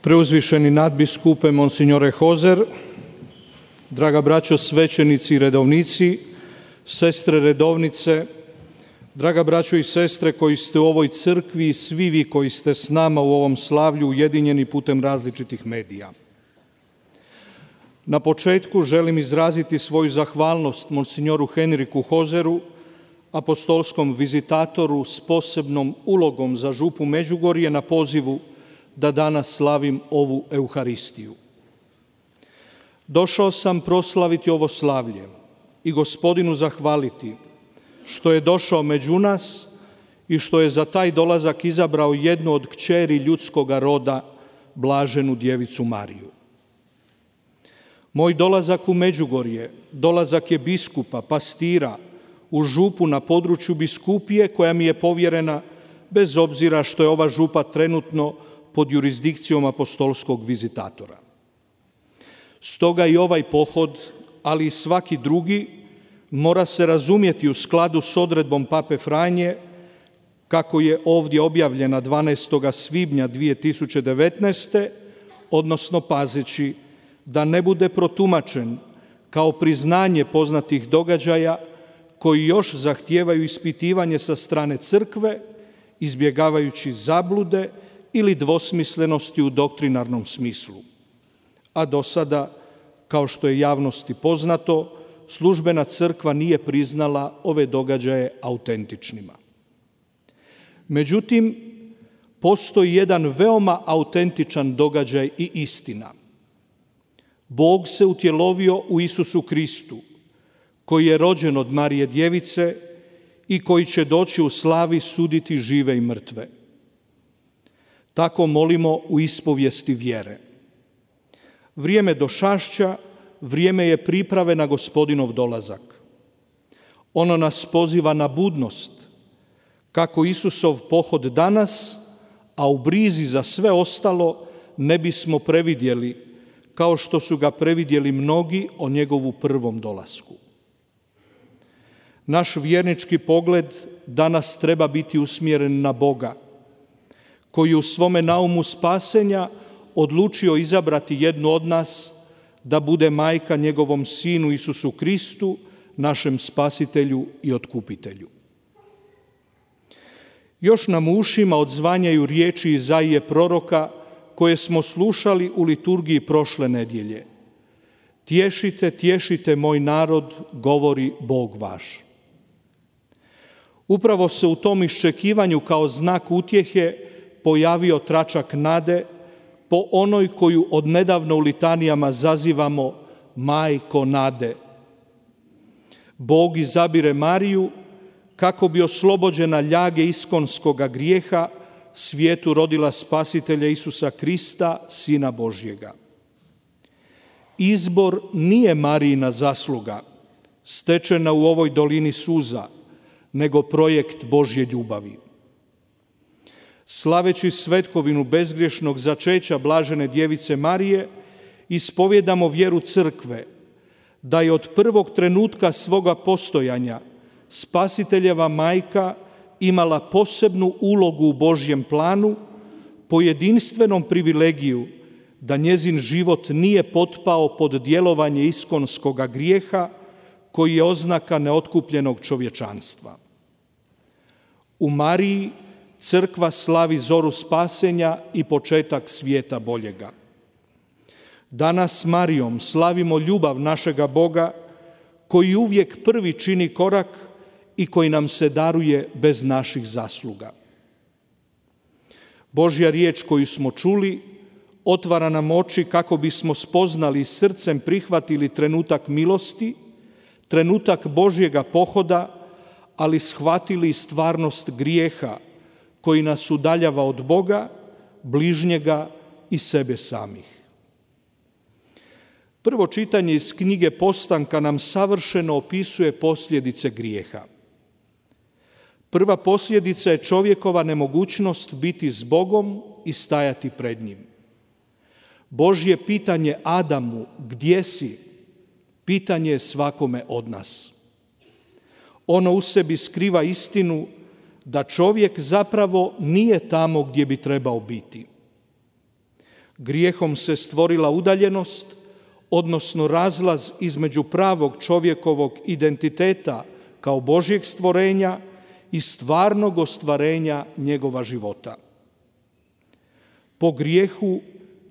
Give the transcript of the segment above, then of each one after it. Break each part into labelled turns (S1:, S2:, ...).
S1: Preuzvišeni nadbiskupe Monsignore Hozer, draga braćo svećenici i redovnici, sestre redovnice, draga braćo i sestre koji ste u ovoj crkvi i svi vi koji ste s nama u ovom slavlju ujedinjeni putem različitih medija. Na početku želim izraziti svoju zahvalnost Monsignoru Henriku Hozeru, apostolskom vizitatoru s posebnom ulogom za župu Međugorje na pozivu da danas slavim ovu Euharistiju. Došao sam proslaviti ovo slavlje i Gospodinu zahvaliti što je došao među nas i što je za taj dolazak izabrao jednu od kćeri ljudskoga roda, blaženu djevicu Mariju. Moj dolazak u Međugorje, dolazak je biskupa, pastira, u župu na području biskupije koja mi je povjerena, bez obzira što je ova župa trenutno pod jurisdikcijom apostolskog vizitatora. Stoga i ovaj pohod, ali i svaki drugi, mora se razumjeti u skladu s odredbom Pape Franje, kako je ovdje objavljena 12. svibnja 2019. odnosno pazeći da ne bude protumačen kao priznanje poznatih događaja koji još zahtijevaju ispitivanje sa strane crkve, izbjegavajući zablude ili dvosmislenosti u doktrinarnom smislu. A do sada, kao što je javnosti poznato, službena crkva nije priznala ove događaje autentičnima. Međutim, postoji jedan veoma autentičan događaj i istina. Bog se utjelovio u Isusu Kristu, koji je rođen od Marije Djevice i koji će doći u slavi suditi žive i mrtve. Tako molimo u ispovijesti vjere. Vrijeme došašća, vrijeme je priprave na Gospodinov dolazak. Ono nas poziva na budnost, kako Isusov pohod danas, a u brizi za sve ostalo ne bismo previdjeli, kao što su ga previdjeli mnogi o njegovu prvom dolasku. Naš vjernički pogled danas treba biti usmjeren na Boga, koji u svome naumu spasenja odlučio izabrati jednu od nas da bude majka njegovom Sinu Isusu Kristu, našem Spasitelju i Otkupitelju. Još nam u ušima odzvanjaju riječi Izaije proroka koje smo slušali u liturgiji prošle nedjelje. Tješite, tješite moj narod, govori Bog vaš. Upravo se u tom iščekivanju kao znak utjehe pojavio tračak nade po onoj koju odnedavno u litanijama zazivamo Majko nade. Bog izabire Mariju kako bi oslobođena ljage iskonskoga grijeha svijetu rodila Spasitelja Isusa Krista, Sina Božjega. Izbor nije Marijina zasluga, stečena u ovoj dolini suza, nego projekt Božje ljubavi. Slaveći svetkovinu bezgriješnog začeća blažene djevice Marije, ispovjedamo vjeru crkve, da je od prvog trenutka svoga postojanja Spasiteljeva majka imala posebnu ulogu u Božjem planu, po jedinstvenom privilegiju da njezin život nije potpao pod djelovanje iskonskoga grijeha, koji je oznaka neotkupljenog čovječanstva. U Mariji crkva slavi zoru spasenja i početak svijeta boljega. Danas s Marijom slavimo ljubav našega Boga, koji uvijek prvi čini korak i koji nam se daruje bez naših zasluga. Božja riječ koju smo čuli otvara nam oči kako bismo spoznali i srcem prihvatili trenutak milosti, trenutak Božjega pohoda, ali shvatili stvarnost grijeha koji nas udaljava od Boga, bližnjega i sebe samih. Prvo čitanje iz knjige Postanka nam savršeno opisuje posljedice grijeha. Prva posljedica je čovjekova nemogućnost biti s Bogom i stajati pred njim. Božje pitanje Adamu, gdje si, pitanje je svakome od nas. Ono u sebi skriva istinu da čovjek zapravo nije tamo gdje bi trebao biti. Grijehom se stvorila udaljenost, odnosno razlaz između pravog čovjekovog identiteta kao Božjeg stvorenja i stvarnog ostvarenja njegova života. Po grijehu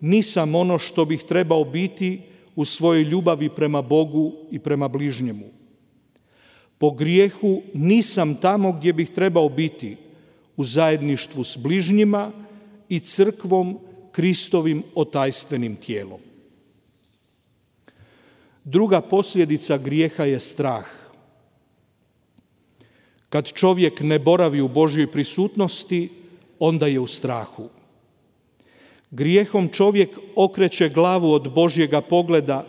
S1: nisam ono što bih trebao biti u svojoj ljubavi prema Bogu i prema bližnjemu. Po grijehu nisam tamo gdje bih trebao biti, u zajedništvu s bližnjima i crkvom, Kristovim otajstvenim tijelom. Druga posljedica grijeha je strah. Kad čovjek ne boravi u Božjoj prisutnosti, onda je u strahu. Grijehom čovjek okreće glavu od Božjega pogleda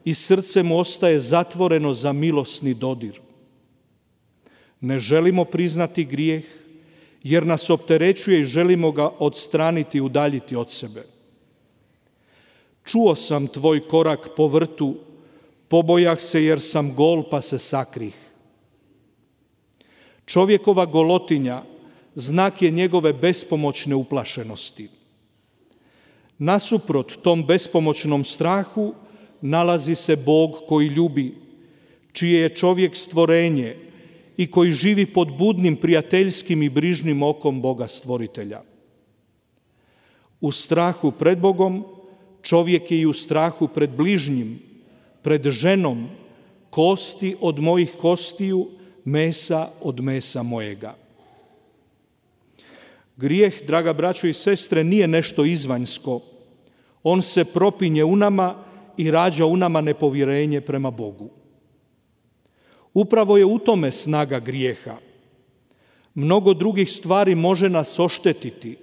S1: i srce mu ostaje zatvoreno za milosni dodir. Ne želimo priznati grijeh, jer nas opterećuje i želimo ga odstraniti i udaljiti od sebe. Čuo sam tvoj korak po vrtu, pobojah se jer sam gol pa se sakrih. Čovjekova golotinja znak je njegove bespomoćne uplašenosti. Nasuprot tom bespomoćnom strahu nalazi se Bog koji ljubi, čije je čovjek stvorenje i koji živi pod budnim prijateljskim i brižnim okom Boga stvoritelja. U strahu pred Bogom čovjek je i u strahu pred bližnjim, pred ženom, kosti od mojih kostiju, mesa od mesa mojega. Grijeh, draga braćo i sestre, nije nešto izvanjsko. On se propinje u nama i rađa u nama nepovjerenje prema Bogu. Upravo je u tome snaga grijeha. Mnogo drugih stvari može nas oštetiti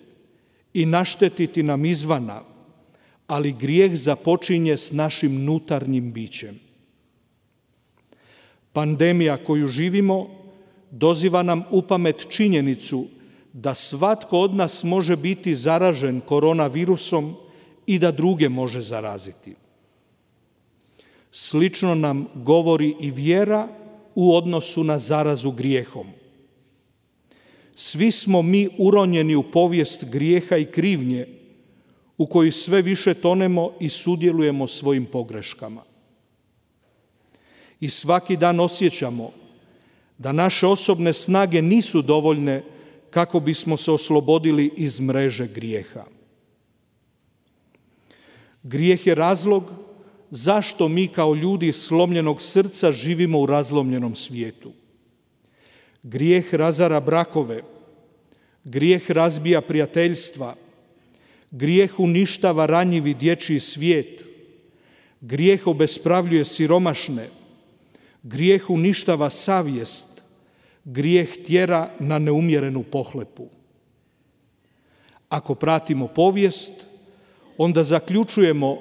S1: i naštetiti nam izvana, ali grijeh započinje s našim unutarnjim bićem. Pandemija koju živimo doziva nam u pamet činjenicu da svatko od nas može biti zaražen koronavirusom i da druge može zaraziti. Slično nam govori i vjera u odnosu na zarazu grijehom. Svi smo mi uronjeni u povijest grijeha i krivnje u kojoj sve više tonemo i sudjelujemo svojim pogreškama. I svaki dan osjećamo da naše osobne snage nisu dovoljne kako bismo se oslobodili iz mreže grijeha. Grijeh je razlog zašto mi kao ljudi slomljenog srca živimo u razlomljenom svijetu. Grijeh razara brakove, grijeh razbija prijateljstva, grijeh uništava ranjivi dječji svijet, grijeh obespravljuje siromašne, grijeh uništava savjest, grijeh tjera na neumjerenu pohlepu. Ako pratimo povijest, onda zaključujemo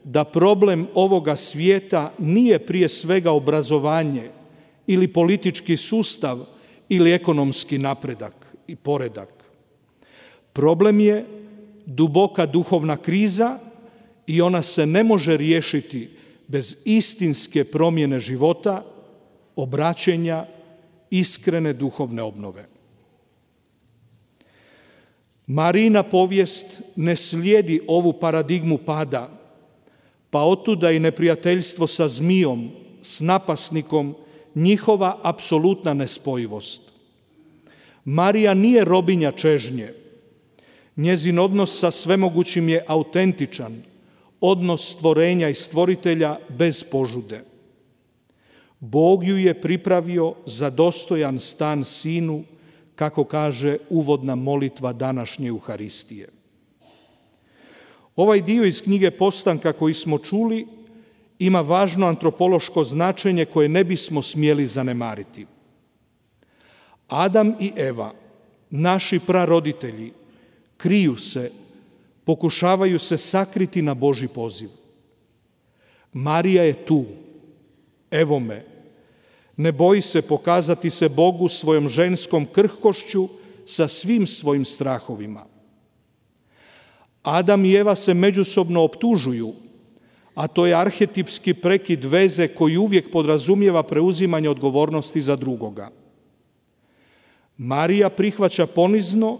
S1: da problem ovoga svijeta nije prije svega obrazovanje ili politički sustav ili ekonomski napredak i poredak. Problem je duboka duhovna kriza i ona se ne može riješiti bez istinske promjene života, obraćenja, iskrene duhovne obnove. Marijina povijest ne slijedi ovu paradigmu pada, pa otuda i neprijateljstvo sa zmijom, s napasnikom, njihova apsolutna nespojivost. Marija nije robinja čežnje. Njezin odnos sa svemogućim je autentičan, odnos stvorenja i stvoritelja bez požude. Bog ju je pripravio za dostojan stan sinu, kako kaže uvodna molitva današnje Euharistije. Ovaj dio iz knjige Postanka koji smo čuli ima važno antropološko značenje koje ne bismo smjeli zanemariti. Adam i Eva, naši praroditelji, kriju se, pokušavaju se sakriti na Božji poziv. Marija je tu, evo me, ne boji se pokazati se Bogu svojom ženskom krhkošću sa svim svojim strahovima. Adam i Eva se međusobno optužuju, a to je arhetipski prekid veze koji uvijek podrazumijeva preuzimanje odgovornosti za drugoga. Marija prihvaća ponizno,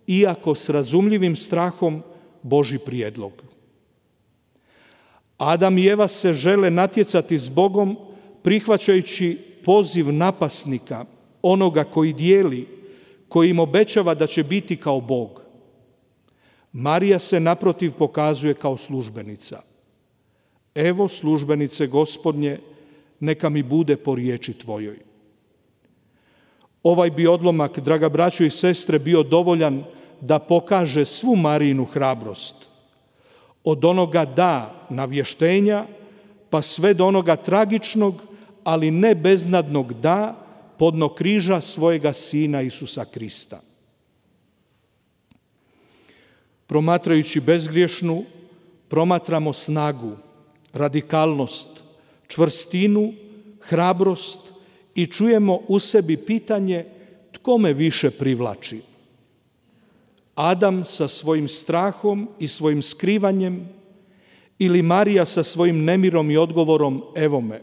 S1: iako s razumljivim strahom, Božji prijedlog. Adam i Eva se žele natjecati s Bogom prihvaćajući poziv napasnika, onoga koji dijeli, koji im obećava da će biti kao Bog. Marija se naprotiv pokazuje kao službenica. Evo službenice Gospodnje, neka mi bude po riječi tvojoj. Ovaj bi odlomak, draga braćo i sestre, bio dovoljan da pokaže svu Marijinu hrabrost. Od onoga da navještenja, pa sve do onoga tragičnog, ali ne beznadnog da, podno križa svojega Sina Isusa Krista. Promatrajući bezgriješnu, promatramo snagu, radikalnost, čvrstinu, hrabrost i čujemo u sebi pitanje tko me više privlači. Adam sa svojim strahom i svojim skrivanjem ili Marija sa svojim nemirom i odgovorom evo me.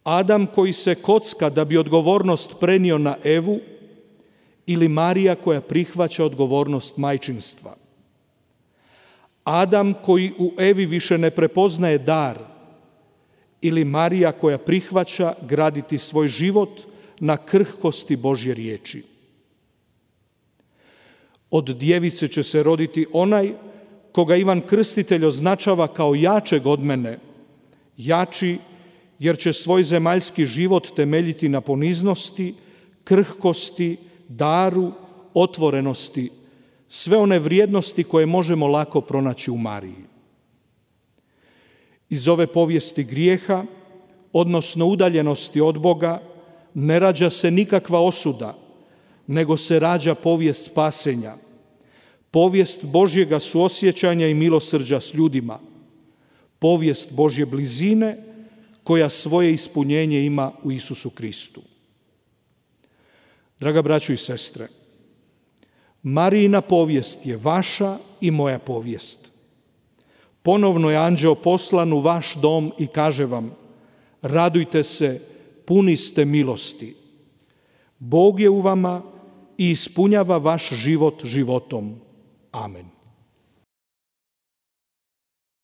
S1: Adam koji se kocka da bi odgovornost prenio na Evu ili Marija koja prihvaća odgovornost majčinstva. Adam koji u Evi više ne prepoznaje dar ili Marija koja prihvaća graditi svoj život na krhkosti Božje riječi. Od djevice će se roditi onaj koga Ivan Krstitelj označava kao jačeg od mene, jači jer će svoj zemaljski život temeljiti na poniznosti, krhkosti, daru, otvorenosti, sve one vrijednosti koje možemo lako pronaći u Mariji. Iz ove povijesti grijeha, odnosno udaljenosti od Boga, ne rađa se nikakva osuda, nego se rađa povijest spasenja, povijest Božjega suosjećanja i milosrđa s ljudima, povijest Božje blizine koja svoje ispunjenje ima u Isusu Kristu. Draga braćo i sestre, Marijina povijest je vaša i moja povijest. Ponovno je anđeo poslan u vaš dom i kaže vam: radujte se, puni ste milosti. Bog je u vama i ispunjava vaš život životom. Amen.